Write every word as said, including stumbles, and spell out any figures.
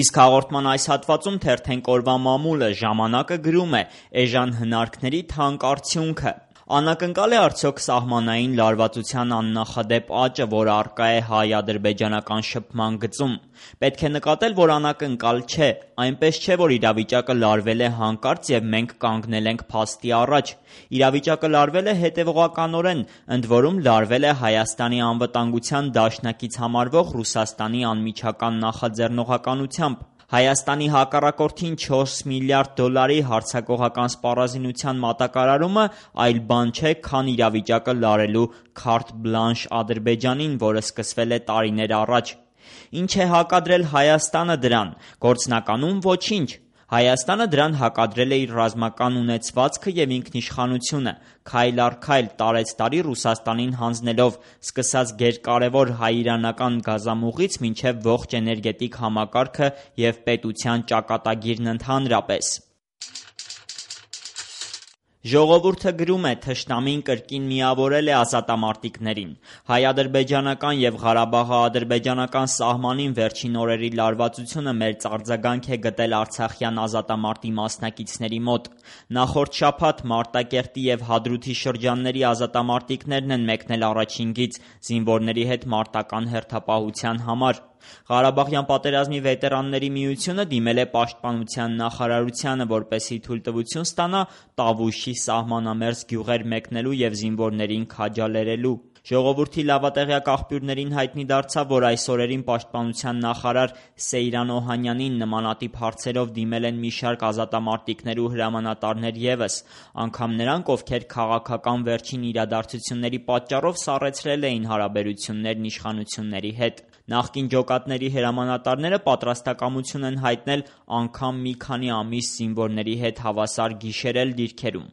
Իսկ հաղորդման այս հատվածում թերթենք օրվա մամուլը ժամանակը գրում է էժան հնարքների թանկ արդյունքը։ Անակնկալ է արդյոք սահմանային լարվածության աննախադեպ աճը, որ առկա է հայ-ադրբեջանական շփման գծում։ Պետք է նկատել, որ անակնկալ չէ, այնպես չէ, որ իրավիճակը լարվել է հանկարծ և մենք կանգնել ենք փաստի առաջ։ Իրավիճակը լարվել է հետևողականորեն, ընդ որում լարվել է Հայաստանի անվտանգության դաշնակից համարվող Ռուսաստանի անմիջական նախաձեռնողականությամբ։ Հայաստանի հակառակորդին չորս միլիարդ դոլարի հարձակողական սպառազինության մատակարարումը այլ բան չէ, քան իրավիճակը լարելու քարտ բլանշ Ադրբեջանին, որը սկսվել է տարիներ առաջ։ Ինչ է հակադրել Հայաստանը դրան։ Գործնականում ոչինչ։ Հայաստանը դրան հակադրել է իր ռազմական ունեցվածքը և ինքնիշխանությունը, քայլ առ քայլ, տարեցտարի Ռուսաստանին հանձնելով, սկսած գերկարևոր հայ-իրանական գազամուղից մինչև ողջ էներգետիկ համակարգը և պետության ճակատագիրն ընդհանրապես։ Ժողովուրդը գրում է. «Թշնամին կրկին միավորել է ազատամարտիկներին։ Հայ-ադրբեջանական և Ղարաբաղաադրբեջանական սահմանին վերջին օրերի լարվածությունը մեծ արձագանք է գտել արցախյան ազատամարտի մասնակիցների մոտ։ Նախորդ շաբաթ Մարտակերտի և Հադրութի շրջանների ազատամարտիկներն են մեկնել առաջին գիծ զինվորների հետ մարտական հերթապահության համար։ Ղարաբաղյան պատերազմի վետերանների միությունը դիմել է պաշտպանության նախարարությանը, որպեսզի թույլտվություն ստանա Տավուշի սահմանամերձ գյուղեր մեկնելու և զինվորներին քաջալերելու։ Ժողովրդի լավատեղյակ աղբյուրներին հայտնի դարձավ, որ այս օրերին պաշտպանության նախարար Սեյրան Օհանյանին նմանատիպ հարցերով դիմել են մի շարք ազատամարտիկներ ու հրամանատարներ ևս, անգամ նրանք, ովքեր քաղաքական վերջին իրադարձությունների պատճառով սառեցրել էին հարաբերություններն իշխանությունների հետ։ Նախկին ջոկատների հրամանատարները պատրաստակամություն են հայտնել անգամ մի քանի ամիս զինվորների հետ հավասար գիշերել դիրքերում։